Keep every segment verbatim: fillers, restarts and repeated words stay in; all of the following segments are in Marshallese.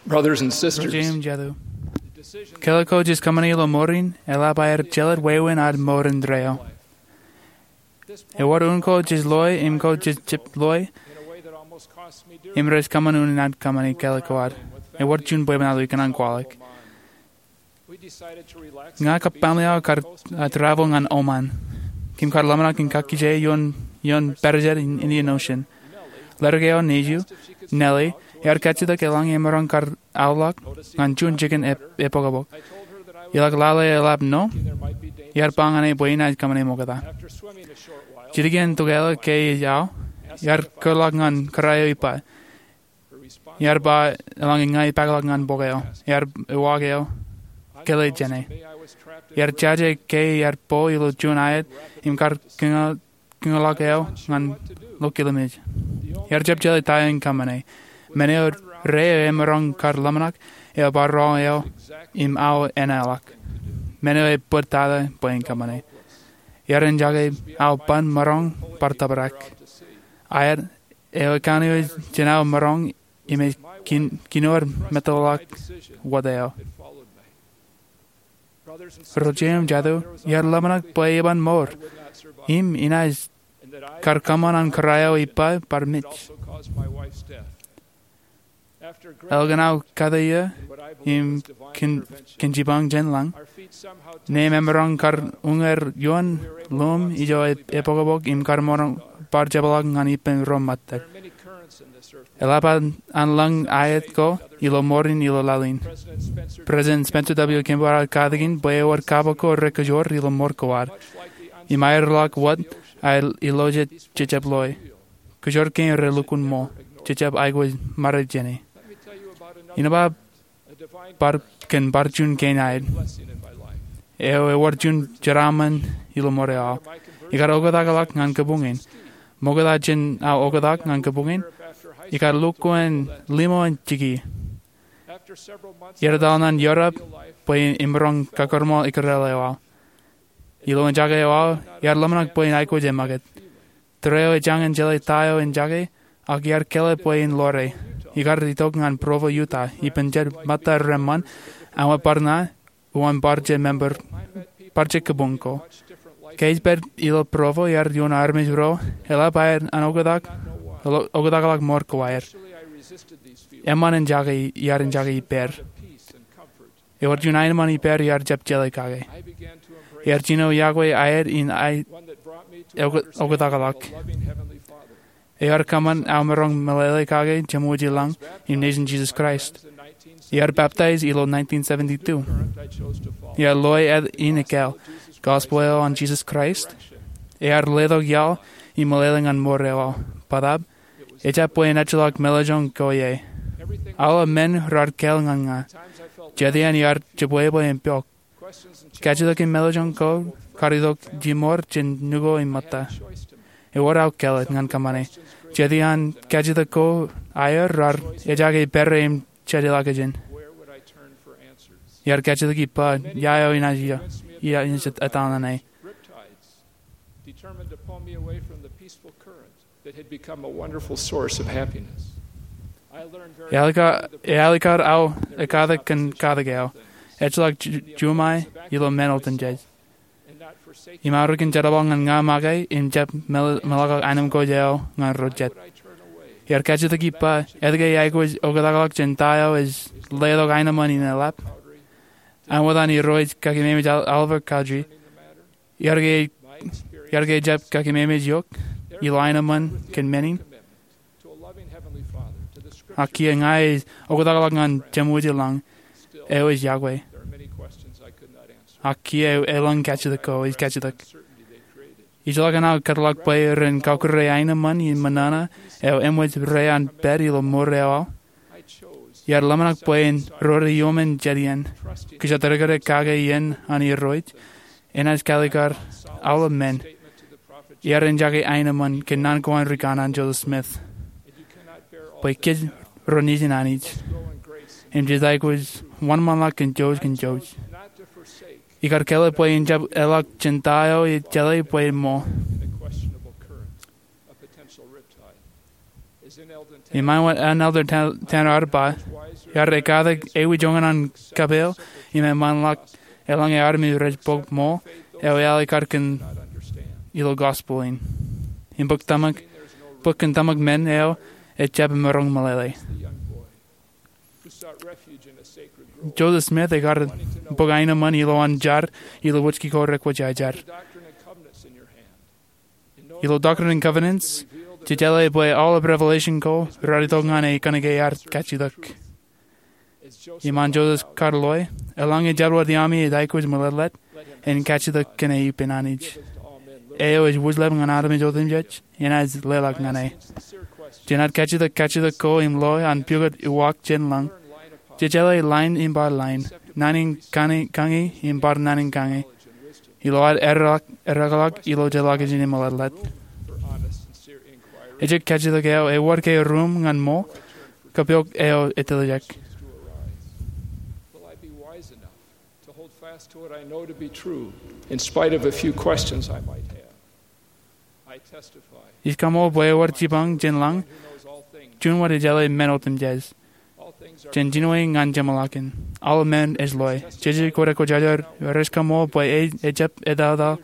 Brothers and sisters, Ro jeiū im jatū, kāālōt ko jej kōṃṃani ilo mour in eḷap aer jelōt wāween ad mour indeeo. Ewōr un ko jej loe im ko jej jab loe im rej kōṃṃan unin ad kōṃṃani kāālōt ko ad. Ewōr juon bwebwenato ikōṇaan kwaḷọk. Ña kab family eo kar, uh, travel ñan Oman. Kōm kar ḷōmṇak in kakkije ioon, ioon pād jet in Indian Ocean. Ledik eo nejū, Nellie, ear kajjitōk eḷaññe emaroñ kar aolọk ñan juon jikin e, epokpok. Iḷak lale eḷap no, iar ba ñan e bwe inaaj kōṃṃane ṃokta. Jidik iien tokālik ke ej ao, iar kōrḷọk ñan kōrā eo ippa. Iar ba eḷaññe ña ipakḷọk ñan bok eo, iar uwaak eo kōḷḷe jāne. Iar jaje ke iar bo ilo juon aet im kar kōñḷọk eo ñan ḷokkilmej. Iar jab jeḷā ta eo in kōṃṃane. Men eo rā eo emaroñ kar ḷōmṇak eo bar ro eo im ao enaḷọk. Men eo ebōd tata bwe en kōṃṃane. Iar enjake ao ban maroñ bar tōprak. Aet eo ekanooj jān ao maroñ im ej kinoor meteḷọk wōt eo. Ro jeiū im jatū, iar ḷōmṇak bwe eban mour im inaaj kar kōṃṃan an kōrā eo ippa bar mej. Elōñ aō kate iiō im kōn, kōn jipañ jān lañ, neem emaroñ kar uññūr ioon lọmọọr ijo epokpok im kar maroñ bar jepḷọk ñan ippān ro ṃōttad. Eḷap an, an lōñ aet ko ilo mour in ilo laḷ in. President Spencer W. Kimball ear katakin bwe ewōr kapo ko rekōjwōr ilo mour ko ad. Im aerḷọk wōt aer ilo jet jejjab loe. Kōjwōr kein relukkuun ṃool, jejjab aikuj ṃare jāne. Innem bar, kōn bar juon kein aet eo ewōr juon jeraaṃṃan ilo mour eo aō. Ikar oktakḷọk ñan kabuñ in. Ṃokta jān aō oktak ñan kabuñ in, ikar lukkuun limo in jiki. Iar etal ñan Europe bwe in imaroñ kakūrṃool ikrel eo aō. Ilo eñjake eo aō, iar ḷōmṇak bwe in aikuj eṃṃakūt. Tōre eo ej jañin jeḷā ta eo en jake, ak iar kāālōt bwe in ḷoore. Ikar itok ñan Provo, Utah, ippān jet ṃōtta reṃṃan, aṃ bar na, uwaan bar jet member, bar jet kabuñ ko. Ke ij pād ilo Provo iar ioon armej ro, eḷap aer an oktak, oktakḷọk mour ko aer. Eṃṃan en jake, iar en jake ippāer. Ewōr juon aenōṃṃan ippāer iar jab jeḷā kake. Iar jino iọkwe aer in aer oktakḷọk. Ear kōṃṃan aō maroñ meḷeḷe kake Jemwōj ilañ im Nejin Jisōs Kraist. Iar peptaij ilo nineteen seventy-two. Iar loe āt in ekāāl, gospel eo an Jisōs Kraist. Ear letok iaḷ im meḷeḷe ñan mour eo aō. Bōtab, ejjab bwe en ejjeḷọk meḷeḷein ko ie. Aolep men raar kāāl ñan ña. Jet iaan iar jebwebwe im pok. Kajjitōk im meḷeḷein ko kar itok jimour jān nuko im ṃōtta. Ewōr aō kāālōt ñan kōṃṃane. Jet iaan kajjitōk ko aer raar ejjake pere im jejeḷā kōj in. Iar kajjitōk ippa, ia eo inaaj, ia, ia inaaj etal ñan e. Eaḷ kar, eaḷ kar aō ekkatak kōn katak eo. Ejjeḷọk ju-, juṃae ilo men otemjej. Im aorōk in jerbal ñan ña make im jab meḷ-, meḷọkḷọk aenōṃṃan ko eo ñan ro jet. Iar kajjitōk ippa, etke iaikuj oktakḷọk jān ta eo ej letok aenōṃṃan in eḷap. Āinwōt an Irooj kakeememej Oliver Cowdery. Iar ke, iar ke ejjab kakeememej eok ilo aenōṃṃan kōn men in. Ak kiiō ña ij oktakḷọk ñan Jemwōj ilañ eo ej iọkwe. Ak kiiō elōñ kajjitōk ko ij kajjitōk. Ijellọkin aō kōtḷọk bwe ren kakure aenōṃṃan in ṃōṇōṇō eo eṃōj rej an pād ilo mour eo aō. Iar ḷōmṇak bwe en rore iuṃwin jet iien. Kōjatdikdik kake iien an Irooj. Enaaj kaalikkar aolep men. Iar en jake aenōṃṃan kōn naan ko an rikanaan Joseph Smith. Bwe kōj ro nejin Anij. Im jej aikuj wōnṃaanḷọk kōn jouj kōn jouj. Ikar kāālōt bwe en jab eḷak jān ta eo ej jeḷā bwe ṃool. Im āinwōt an Elder Tan-, Tanner ear ba, Ear ekkatak ewi joñan an kapeel im eṃṃanḷọk eḷaññe armej rej bōk ṃool eo ealikkar kōn ilo gospel in. Im bōk tōmak, bōk kōn tōmak men eo ejjab emaroñ meḷeḷe. Joseph Smith ekar bōk aenōṃṃan ilowaan jar ilo wōjki ko rekwōjarjar. Ilo Doctrine and Covenants, jejeḷā bwe aolep revelation ko raar itok ñan e kōnke ear kajjitōk. Iṃaan Joseph kar loe, eḷaññe jabdewōt iaami ej aikuj meḷeḷe, en kajjitōk kōn e ippān Anij. Eo ej wūjlepḷọk ñan armej otemjej, enaaj leḷọk ñan e. Jenaaj kajjitōk kajjitōk ko im loe an pukot uwaak jān lañ. Jejeḷā lain im bar lain, naan in kañi im bar naan in kañi. Ilo ad ereḷọk ilo jeḷā kajjitōk im meḷeḷe. Ejjab kajjitōk eo ewōr ke ruuṃ ñan ṃool, kōpooj eo etiljek. Will I be wise enough to hold fast to what I know to be true, in spite of a few questions I might have? I testify. Ij kaṃool bwe ewōr jipañ jān lañ, juon wōt ejeḷā men otemjej. Jen jinoe ñan jeṃḷọkin. Aolep men ej loe. Jeje ko rekwōjarjar rej kaṃool bwe ejjab etataḷ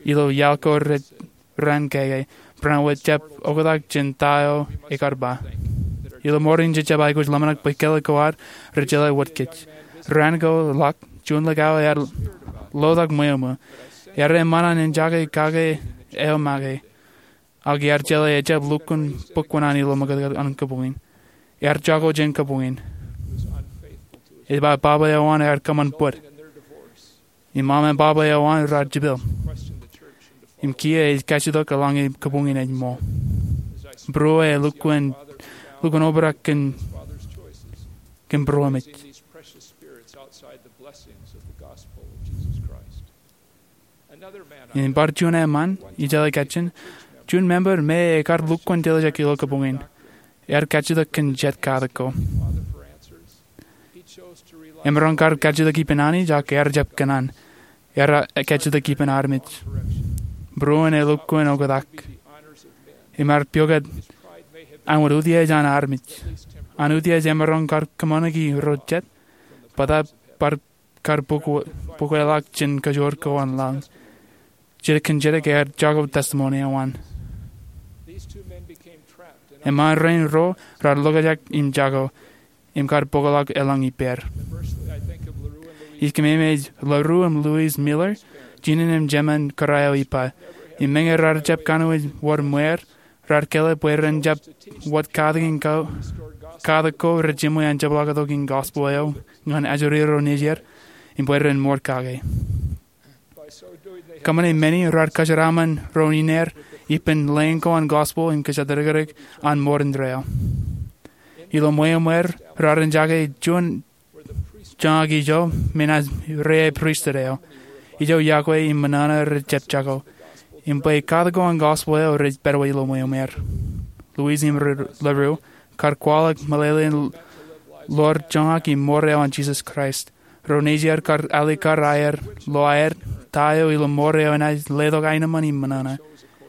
ilo iaḷ ko rej raan kōkōe, barāinwōt jab oktak jān ta eo ekar ba. Ilo ṃoor in jejjab aikuj ḷōmṇak bwe kelek ko ad rej jeḷā wōt kōj. Raan ko ḷak, juon likao ear lotak ṃweo ṃweo. Ear eṃṃan an en jake kake eo make. Ak ear jeḷā ejjab lukkuun bōk kuṇaan ilo ṃōkōtōt an kabuñ in. Ear jako jān kabuñ in. Ej ba baba eo an ear kōṃṃan bōd. Im ṃōṃ an baba eo an raar jepel. Im kiiō ej kajjitōk eḷaññe kabuñ in ej ṃool. Būruō e lukkuun, lukkuun obrak kōn, kōn būruōmej. Im bar juon eṃṃan, ijeḷā kajjien, juon member me ekar lukkuun tiljek ilo kabuñ in. Ear kajjitōk kōn jet katak ko. Emaroñ kar kajjitōk ippān Anij ak ear jab kōṇaan. Ear kajjitōk ippān armej. Būruōn e lukkuun oktak. Im ear pukot an wōt utiej an armej. An utiej emaroñ kar kōṃṃaniki ro jet. Bōtab bar kar bōkweḷọk jān kajoor ko an laḷ. Jidik kōn jidik ear jako testimony eo an. Eṃṃan rein ruo raar lokjak im jako, im kar bōkḷọk eḷaññe ippāer. Ij kōmeemej LaRue im Louise Mueller, jinōn im jemān kōrā eo ippa. Im meñe raar jab kanooj wōr ṃweer, raar kele bwe ren jab wōt katak in ko, katak ko rej jiṃwe an jepḷaaktok in gospel eo ñan ajri ro nejier, im bwe ren mour kake. Kōṃṃane men in raar kōjeraaṃṃan ro ineer ippān lōñ ko an gospel im kōjatdikdik an mour indeeo. Ilo ṃweeṃweer raar jake juon joñak ijo me naaj reiae pristut eo. Ijo iọkwe im ṃōṇōṇō rej jab jako. Im bwe katak ko an gospel eo rej pād wōt ilo ṃweeṃweer. Louise im LaRue kar kwaḷọk meḷeḷein ḷoor joñak im mour eo an Jisōs Kraist. Ro nejier kar alikkar aer lo aer ta eo ilo mour eo enaaj letok aenōṃṃan im ṃōṇōṇō.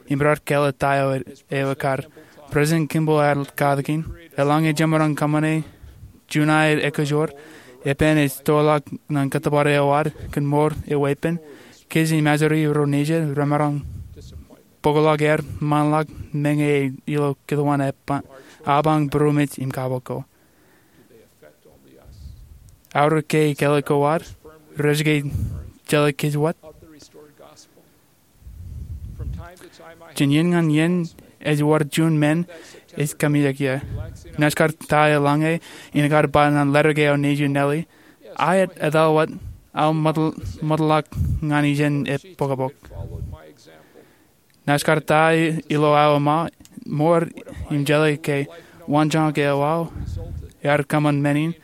Im raar kele ta eo eo ekkar. President Kimball ear katakin, eḷaññe jemaroñ kōṃṃane juon aer ekajoor, epen ej toḷọk ñan kōttōpar eo ad kōn mour e weeppān, kōj im ajri ro nejier remaroñ bōkḷọk er ṃaanḷọk meñe ej ilo kōtwōn apañ būroṃōj im kabok ko. Aorōk ke kelek ko ad rej ke jeḷā kōj wōt. Jān iien ñan iien ej wōr juon men ej kōmijak ie. Naaj kar ta eḷaññe in kar ba ñan letter ke eo nejū Nellie, aet etal wōt aō ṃōtḷọk ñan ijeṇ e bōkbōk. Naaj kar ta ilo aō ṃa mour im jeḷā ke wanjoñak eo aō ear kōṃṃan men in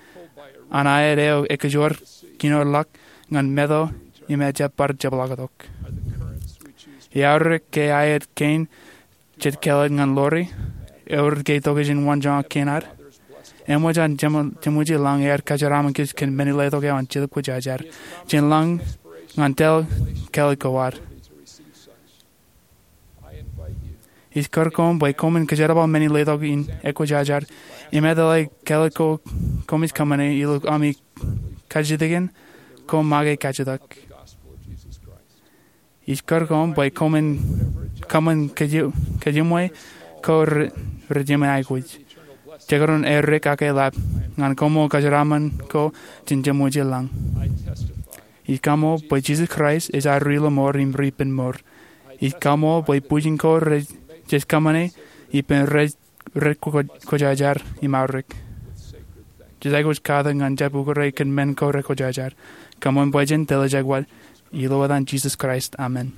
an aet eo ekajoor kinoorḷọk ñan meto im ejjab bar jepḷaaktok. Eaorōk ke aet kein jej kelōt ñan Lori, eor ke tokjān wanjoñak kein ad. Eṃōj an jeṃōj ilañ ear kōjeraaṃṃan kōj kōn men in letok eo an Jetōb Kwōjarjar. Jān lañ ñan tōl kelek ko ad. Ij kūr koṃ bwe koṃwin kōjerbal men in letok in ekwōjarjar im etale kāālōt ko koṃij kōṃṃane ilo ami kajjitōkin ko make kajjitōk. Ij kūr koṃ bwe koṃwin kōṃṃan kōjemwe ko rej jemān aikuj, jekdọọn aer dik ak eḷap ñan koṃṃool kōjeraaṃṃan ko jān jeṃwijel lañ. Ij kaṃool bwe Jisōs Kraist ej ad Ri-lọmọọr im Ri-penmour. Ij kaṃool bwe bwijin ko rej kōṃṃane ippān rej kwōjarjar im aorōk. Jej aikuj katak ñan jab ukōre kōn men ko rekwōjarjar. Kaṃṃoolol bwe jen tōlejākwōt. Ilo etan Jisōs Kraist, amen.